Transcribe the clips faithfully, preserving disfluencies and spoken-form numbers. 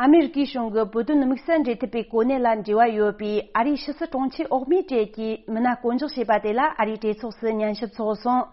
ཨ་མེ་རི་ཀའི་གཞུང་གི་བོད་དོན་དམིགས་བསལ་འབྲེལ་མཐུད་པའི་གོ་གནས་ལ་འབྲེལ་བ་ཡོད་པའི་ཨ་རིའི་ཕྱི་སྲིད་དྲུང་ཆེ་འོག་མའི་གྲས་ཀྱིས་མི་སྣ་བསྐོ་འཇོག་བྱས་པ་དེ་ལ་ཨ་རིའི་གྲོས་ཚོགས་སུ་ཉན་ཞིབ་ཚོགས་སོང་།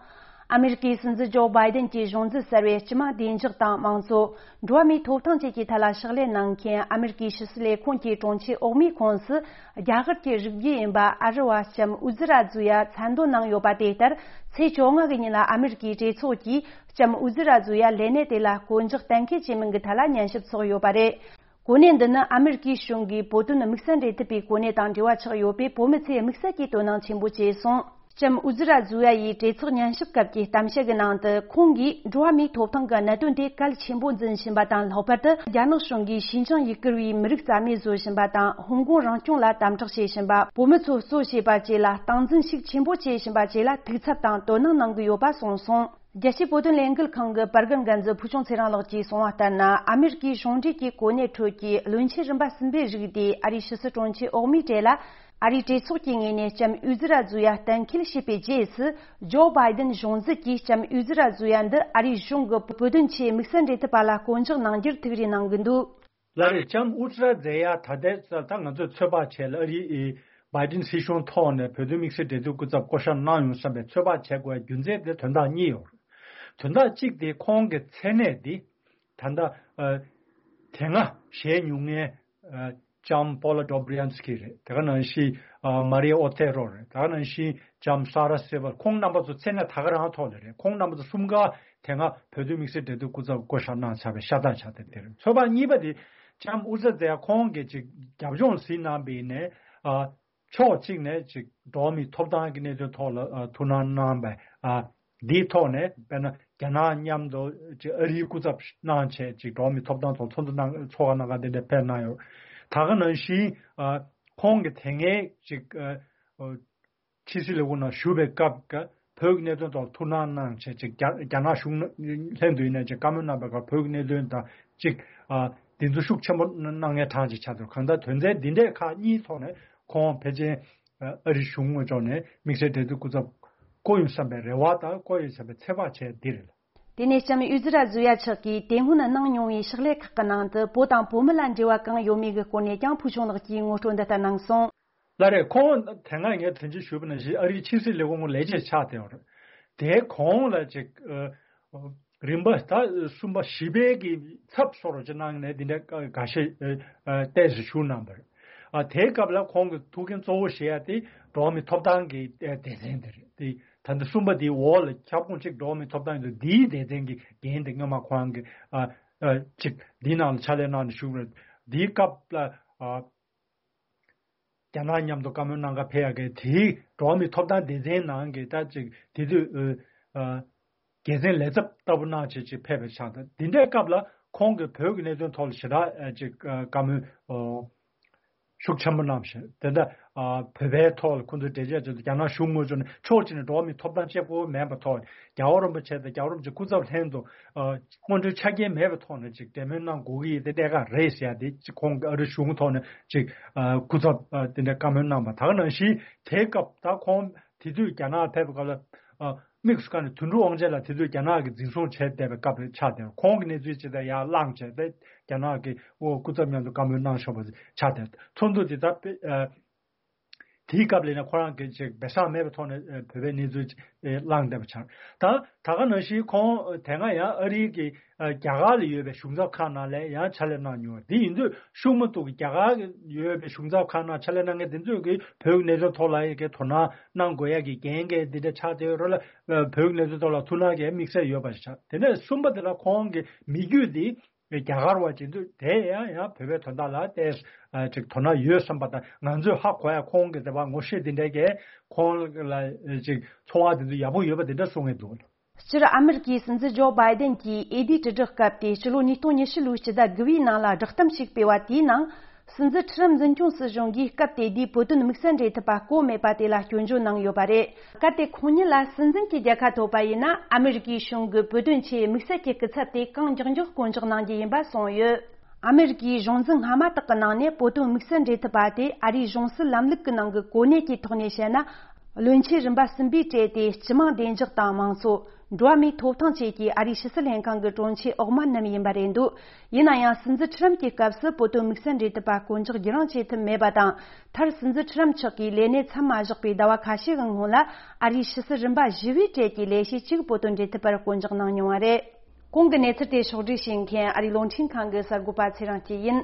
ཨ་མེ་རི་ཀའི་སྲིད་འཛིན་ཇོ་བྷའི་ཏན་གྱི་གཞུང་འཛིན་གསར་བས་སྤྱི་དམངས་བདེ་འཇགས་དང་དམངས་གཙོ། འགྲོ་བ་མིའི་ཐོབ་ཐང་བཅས་ཀྱི་ཐད་ལ་ཕྱག་ལས་གནང་མཁན་ཨ་མེ་རི་ཀའི་ཕྱི་སྲིད་ལས་ཁུངས་ཀྱི་དྲུང་ཆེ་འོག་མའི་ཁོངས་སུ། རྒྱ་གར་གྱི་རིགས་རྒྱུད་ཡིན་པ་ཨ་རི་བ་ལྕམ་ཨུ་ཛི་ར་ཛུ་ཡ་མཚན་འདོན་གནང་ཡོད་པ་དེ་ལྟར། ཚེས་བཅོ་ལྔ་གི་ཉིན་ལ་ཨ་མེ་རི་ཀའི་གྲོས་ཚོགས་ཀྱིས་ལྕམ་ཨུ་ཛི་ར་ཛུ་ཡ་ལས་གནས་དེ་ལ་བསྐོ་འཇོག་གཏན་འཁེལ་བྱེད་མིན་གྱི་ཐད་ལ་ཉན་ཞིབ་ཚོགས་ཡོད་པ་རེད། གོ་གནས་འདི་ནི་ཨ་མེ་རི་ཀའི་གཞུང་གིས་བོད་དོན་དམིགས་བསལ་འབྲེལ་མཐུད་པའི་གོ་གནས་དང་འབྲེལ་བ་ཆགས་ཡོད་པས། བོད་མི་ཚོས་དམིགས་བསལ་གྱིས་དོ་སྣང་ཆེན་པོ་བྱས་སོང་། ལྕམ་ཨུ་ཛི་ར་ཛུ་ཡ་ཡིས་གྲོས་ཚོགས་ཉན་ཞིབ་སྐབས་ཀྱི་གཏམ་བཤད་ཀྱི་ནང་དུ། ཁོང་གིས་འགྲོ་བ་མིའི་ཐོབ་ཐང་གི་གནད་དོན་དེ་གལ་ཆེན་པོ་འཛིན་བཞིན་པ་དང་། ལྷག་པར་དུ་རྒྱ་ནག་གཞུང་གིས་ཞིན་ཅང་ཡུ་གུར་བའི་མི་རིགས་རྩ་མེད་བཟོ་བཞིན་པ་དང་། ཧོང་ཀོང་རང་སྐྱོང་ལ་དམ་དྲག་བྱེད་བཞིན་པ། བོད་མི་ཚོ་གསོ་བྱེད་པ་བཅས་ལ་སྟངས་འཛིན་ཤུགས་ཆེན་པོ་བྱེད་བཞིན་པ་བཅས་ལ་ཐུགས་འཚབ་དང་དོ་སྣང་གནང་གི་ཡོད་པ་གསུངས་སོང་། རྒྱལ་སྤྱིའི་བོད་དོན་ལས་འགུལ་ཁང་གི་པར་སྐྲུན་འགན་འཛིན་ཕུལ་བྱུང་ཚེ་རིང་ལགས་ཀྱིས་གསུངས་པ་ལྟར་ན། ཨ་མེ་རི་ཀའི་གཞུང་འབྲེལ་གྱི་གོ་གནས་ཁྲོད་ཀྱི་བློན་ཆེན་རིམ་པ་གསུམ་པའི་རིགས་དེ་ཨ་རིའི་ཕྱི་སྲིད་དྲུང་ཆེ་འོག་མའི་གྲས་ལ། ཨ་རིའི་གྲོས་ཚོགས་ཀྱི་ངོས་ནས་ལྕམ་ཨུ་ཛི་ར་ཛུ་ཡ་གཏན་འཁེལ་བྱས་པའི་རྗེས་སུ། ཇོ་བྷའི་ཏན་གཞུང་འཛིན་གྱིས་ལྕམ་ཨུ་ཛི་ར་ཛུ་ཡ་འདི་ཨ་རིའི་གཞུང་གི་བོད་དོན་ཆེད་དམིགས་བསལ་འབྲེལ་མཐུད་པ་ལ་བསྐོ་འཇོག་གནང་རྒྱུར་ཐུགས་རེ་གནང་གི་འདུག། ལགས་རེད། ལྕམ་ཨུ་ཛི་ར་ཛུ་ཡ་ད་ལྟའི་ཆར་ད་ང་ཚོས་ཚོད་དཔག་བྱས་ལ་ཨ་རིའི་བྷའི་ཏན་སྲིད་གཞུང་ཐོག་ནས་བོད་དོན་དམིགས་བསལ་འབྲེལ་མཐུད་སྐུ་ཚབ་བསྐོ་གཞག་གནང་ཡོང་བསམ་པའི་ཚོད་དཔག་བྱེད་དགོས་པའི་རྒྱུ་མཚན་དེ་དོན་དག་གཉིས་ཡོད་རེད། དོན་དག་གཅིག་དེ་ཁོང་གི་མཚན་གནས་འདི་ད་ལྟ་ཨ་དེ་སྔ་བཞེས་མྱོང་མཁན་ཨ་ལྕམ་པོ་ལ་ཌོབ་རི་ཡན་སི་ཀི་རེད། དེ་ག་ནང་བཞིན་ཨ་མ་རི་ཨོ་ཐེ་རོ་རེད། དེ་ག་ནང་བཞིན་ལྕམ་ས་ར་སེ་བལ། ཁོང་རྣམ་པ་ཚོ་མཚན་གནས་ད་ག་རང་ཐོག་ལ་རེད། ཁོང་རྣམ་པ་ཚོ་གསུམ་ཀ་དེ་སྔ་བོད་དོན་དམིགས་བསལ་འབྲེལ་མཐུད་སྐུ་ཚབ་བསྐོ་གཞག་གནང་ཚར་བའི་ཤ་སྟག་ཆགས་བསྡད་དེ་རེད། ཚོད་དཔག་གཉིས་པ་དེ་ལྕམ་ཨུ་ཛི་ར་ཛུ་ཡ་ཁོང་གིས་ཅིག་རྒྱབ་ལྗོངས་གཟིགས་གནང་བའི་ནས་ཨ་ཕྱོགས་གཅིག་ནས་ཅིག་འགྲོ་བ་མིའི་ཐོབ་ཐང་གི་གནད་དོན་ཐོག་ལ་ཨ་ཐུགས་སྣང་གནང་བའི་ཨ་འདིའི་ཐོག་ནས། དཔེར་ན་རྒྱ་ནག་མཉམ་དུ་ཅིག་ཨ་རིའི་སྐུ་ཚབ་གནང་བྱས་ཅིག་འགྲོ་བ་མིའི་ཐོབ་ཐང་ཐོག་ཚོགས་འདུ་གནང་ཚོགས་ཁག་གནང་ག་དེ་འདྲ་ཕེབས་གནང་ཡོད། ད་ག་ནང་བཞིན་ཨ་ཁོང་གིས་དེ་སྔའི་ཅིག་ཨ་ཕྱི་སྲིད་ལས་ཁུངས་ནང་བཞུགས་པའི་སྐབས་ཀྱི་བོད་ཀྱི་གནད་དོན་ཐོག་ཐུགས་སྣང་གནང་བྱས་ཅིག་རྒྱ་རྒྱ་ནག་གཞུང་ལྷན་དུ་ཡིན་ནས་ཅིག་བཀའ་མོལ་གནང་བའི་སྐབས་བོད་ཀྱི་གནད་དོན་དང་ཅིག་ཨ་འདི་ཚོ་ཤུགས་ཆེན་པོ་གནང་མཁན་གྲངས་ཅིག་ཆགས་འདུག། གང་ལྟར་དོན་ཚན་འདི་འདྲའི་ཁག་གཉིས་ཐོག་ནས་ཁོང་ཕལ་ཆེར་ཨ་རིའི་གཞུང་ངོས་ཕྱོགས་ནས་དམིགས་བསལ་འབྲེལ་མཐུད་སྐུ་ཚབ་བསྐོ་ཡོང་བསམ་པའི་རེ་བ་དང་བསྐོ་ཡོང་བསམ་པའི་ཚོད་དཔག་བྱས་འདི་རེད། དེ་ནས་ལྕམ་ཨུ་ཛི་ར་ཛུ་ཡ་མཆོག་གིས་དེ་སྔོན་གནང་མྱོང་བའི་ཕྱག་ལས་ཁག་གི་ནང་དུ་བོད་དང་བོད་མི་ལ་འབྲེལ་བ་གང་ཡོད་མེད་ཀྱི་སྐོར་ནས་ཀྱང་ཕུལ་བྱུང་ལགས་ཀྱིས་ངོ་སྤྲོད་འདི་ལྟར་གནང་སོང་། ལགས་རེད། ཁོང་དེ་སྔ་ངས་དོན་གཅོད་ཞུས་པ་ནང་བཞིན་ཨ་རིའི་ཕྱི་སྲིད་ལས་ཁུངས་ལས་བྱེད་ཆགས་བསྡད་ཡོད་རེད། དེའི་གོང་ལ་ཅིག་ཨ་རིམ་པ་ད་གསུམ་པ་བཞི་པའི་གི་ཚབ་སོར་ཅིག་གནང་ནས་འདི་འདྲ་འགའ་ཤས་ཨ་ཨ་ཏོག་ཙམ་ཞུ་གནང་པ་རེད། ཨ་དེའི་སྐབས་ལ་ཁོང་གི་ཐུགས་འགན་གཙོ་བོ་བཞེས་ཡ་དེ་འགྲོ་བ་མིའི་ཐོབ་ཐང་གི་ཨ་སྡེ་ཚན་དེ་རེད། དེ་ད་ལྟ་གསུམ་པ་དེའི་འོག་ལ་ཁྱབ་ཁོངས་གཅིག་འགྲོ་བ་མིའི་ཐོབ་ཐང་ཡོད་འདུག། འདིའི་སྡེ་ཚན་གྱི་འགན་དེ་སྔོན་མ་ཁོ་རང་གི་ཨ་ཨ་ཅིག་འདིའི་ནང་ལ་ཕྱག་ལས་གནང་ནས་བཞུགས་རེད། འདིའི་སྐབས་ལ་ཨ་རྒྱ་ནག་མཉམ་དུ་བཀའ་མོལ་གནང་ག་ཕེབས་ཡ་གི་དེའི་འགྲོ་བ་མིའི་ཐོབ་ཐང་སྡེ་ཚན་ནང་གི་ད་ཅིག་དེ་དུས་ཨ་འགན་འཛིན་ལས་ཚབ་ལྟ་བུ་གནང་བྱས་ཅིག་ཕེབས་པའི་ཆ་དང་། འདི་འདྲའི་སྐབས་ལ་ཁོང་གིས་བོད་ཀྱི་གནད་དོན་ཐོག་ལ་ཞེ་དྲག་ཨ་ཅིག་ཨ་བཀའ་མོལ་ཨོ་ཤུགས་ཆེན་པོ་གནང་བཞིན་དེ་འདྲ་ཨ་བོད་པའི་ཐོག་ལ་ཁོང་ཚོས་འགྲེལ་བརྗོད་བྱས་ཏེ་རྒྱ་ནག་གཞུང་ངོས་ཕྱོགས་ནས་ཕྱོགས་གཅིག་ནས་འགྲོ་བ་མིའི་ཐོབ་ཐང་གཅིག་པོ་མེད་པའི་ཐོག་རྒྱལ་བ་རིན་པོ་ཆེ་དང་རྒྱལ་བ་རིན་པོ་ཆེ་སྐུ་ཚབ་ལྷན་དུ་ཨ་སྔོན་འགྲོའི་ཆ་རྐྱེན་མེད་པའི་ཐོག་ནས་ཅིག་གྲོས་མོལ་གནང་དགོས་ཀྱི་ཡོད་དེ་གནད་འགག་རེད་ཟེར་ཡ་དེ་ཅིག་ཁོང་གི་ཨ་རི་གཞུང་ཐོག་ནས་ཅིག་ཨ་སྐུ་ཚབ་ཨ་དེ་འདྲ་བཀའ་མོལ་གནང་པ། ད་ག་ནང་བཞིན་དེའི་སྐབས་ད་ཁོང་དེ་དུས་རྒྱ་ནག་ཕེབས་པའི་སྐབས་ལ་ཨ་དམིགས་སུ་བཀར་ནས་དོན་གྲུབ་དབང་ཆེན་ལགས་དེ་དུས་རྒྱ་ནག་གིས་འཛིན་བཟུང་བྱས་བསྡད་པའི་སྐབས་རེད་ཆགས་བསྡད། ཁོང་གི་གནས་ཚུལ་ཇི་ལྟར་ཡར་བསླངས་བྱས་ཏེ་རྒྱ་ནག་གི་ཨོ་སྐུ་ཚབ་མཉམ་དུ་བཀའ་མོལ་གནང་ཆོག་པ་ཆགས་བསྡད། ཚོགས་འདུ་དེ་ད་དཔེ་ཨ་དེའི་སྐབས་ལ་ཡིན་ན་ཁོ་རང་གིས་ཅིག་བེ་ཤག་མེད་པའི་ཐོག་ནས་ཨ་བོད་པའི་གནས་ཚུལ་ཅིག་ཨ་བསླངས་བསྡད་པ་ཆགས། ད་ད་ག་ནང་བཞིན་ཁོང་དེ་སྔ་ཡང་ཨ་རིའི་གི་ཨ་རྒྱ་གར་ལ་ཡོད་པའི་གཞུང་ཚབ་ཁང་ནང་ལ་ཡང་ཕྱག་ལས་གནང་མྱོང་བ་དེ་ཡིན་དུས་ཤུགས་མ་གཏོགས་ཀྱི་རྒྱ་གར་ཡོད་པའི་གཞུང་ཚབ་ཁང་ནང་ཕྱག་ལས་གནང་མཁན་དེ་ཚོས་ཀྱི་བོད་ཀྱི་གནད་དོན་ཐོག་ལ་ཡི་གེ་དོ་སྣང་གནང་དགོས་ཡ་གི་འགན་འགན་འདི་འདྲ་ཆགས་བསྡད་ཡོད་རེད་ལ། བོད་ཀྱི་གནད་དོན་ཐོག་ལ་ཐུགས་སྣང་གི་དམིགས་བསལ་ཡོད་པ་ཞིག་ཆགས། དེ་ནས་གསུམ་པ་དེ་ལ་ཁོང་གི་མི་རྒྱུད་འདི་རྒྱ་གར་བ་ཅིག་འདུག། དེ་ཡང་ཡང་བོད་པའི་དོན་དག་ལ་ཏོག་ཙམ་ཅིག་དོ་སྣང་ཡོད་བསམ་པ་དང་། ང་ཚོས་ཧ་གོ་ཡ་ཁོང་གི་དེ་བ་ངོ་ཤེས་དེ་འདྲ་གས་ཁོང་ལ་ཅིག་ཚོར་བ་དེ་ཚོ་ཡག་པོ་ཡོད་པ་དེ་འདྲ་གསུང་གི་འདུག། སྤྱིར་ཨ་མེ་རི་ཀའི་སྲིད་འཛིན་ཇོ་བྷའི་ཏན་གྱིས་འོས་བསྡུའི་དྲིལ་བསྒྲགས་སྐབས་དེ་སྤྱི་ལོ་ཉིས་སྟོང་ཉི་ཤུ་ལོའི་སྤྱི་ཟླ་དགུ་པའི་ནང་ལ་བསྒྲགས་གཏམ་ཞིག་སྤེལ་བ་དེའི་ནང་། སྲིད་འཛིན་ཁྲི་རམ་འཛིན་སྐྱོང་སྲིད་གཞུང་གིས་སྐབས་དེ་དུས་བོད་དོན་དམིགས་བསལ་འབྲེལ་མཐུད་པ་བསྐོ་མེད་པ་དེ་ལ་སྐྱོན་བརྗོད་གནང་ཡོད་པ་རེད། གལ་ཏེ་ཁོང་ཉིད་ལ་སྲིད་འཛིན་གྱི་རྒྱལ་ཁ་ཐོབ་པ་ཡིན་ན། ཨ་མེ་རི་ཀའི་གཞུང་གི་བོད་དོན་ཆེད་དམིགས་བསལ་གྱི་སྐུ་ཚབ་དེ་གང་མགྱོགས་མགྱོགས་བསྐོ་འཇོག་གནང་རྒྱུ་ཡིན་པ་གསུངས་ཡོད། ཨ་མེ་རི་ཀའི་གཞུང་འཛིན་སྔ་མ་དག་གི་ནང་ནས་བོད་དོན་དམིགས་བསལ་འབྲེལ་མཐུད་པ་དེ་ཨ་རིའི་གཞུང་སྲིད་ལམ་ལུགས་ཀྱི་ནང་གི་གོ་གནས་ཀྱི་ཐོག་ནས་བཤད་ན། བློན་ཆེན་རིམ་པ་གསུམ་པའི་གྲས་དེ་སྤྱི་དམངས་བདེ་འཇགས་དང་དམངས་གཙོ། འགྲོ་བ་མིའི་ཐོབ་ཐང་ཆེད་ཀྱི་ཨ་རིའི་ཕྱི་སྲིད་ལྷན་ཁང་གི་དྲུང་ཆེ་འོག་མ་རྣམས་ཡིན་པ་རེད་འདུག་ཡིན་ན་ཡང་སྲིད་འཛིན་ཁྲི་རམ་གྱི་སྐབས་སུ་བོད་དོན་དམིགས་བསལ་འབྲེལ་མཐུད་པ་བསྐོ་འཇོག་བརྒྱུད་རིང་བྱེད་ཐུབ་མེད་པ་དང་། མཐར་སྲིད་འཛིན་ཁྲི་རམ་མཆོག་གིས་ལས་གནས་མཚམས་མ་བཞག་པའི་ཟླ་བ་ཁ་ཤས་ཀྱི་སྔོན་ལ་ཨ་རིའི་ཕྱི་སྲིད་རིམ་པ་བཞི་བའི་གྲས་ཀྱི་ལས་བྱེད་གཅིག་བོད་དོན་འབྲེལ་མཐུད་པར་བསྐོ་འཇོག་གནང་མྱོང་བ་རེད། གོང་གི་གནས་ཚུལ་དེ་ཕྱོགས་བསྒྲིགས་བྱེད་མཁན་ཨ་རིའི་རླུང་འཕྲིན་ཁང་གི་གསར་འགོད་པ་ཚེ་རིང་སྐྱིད་ཡིན།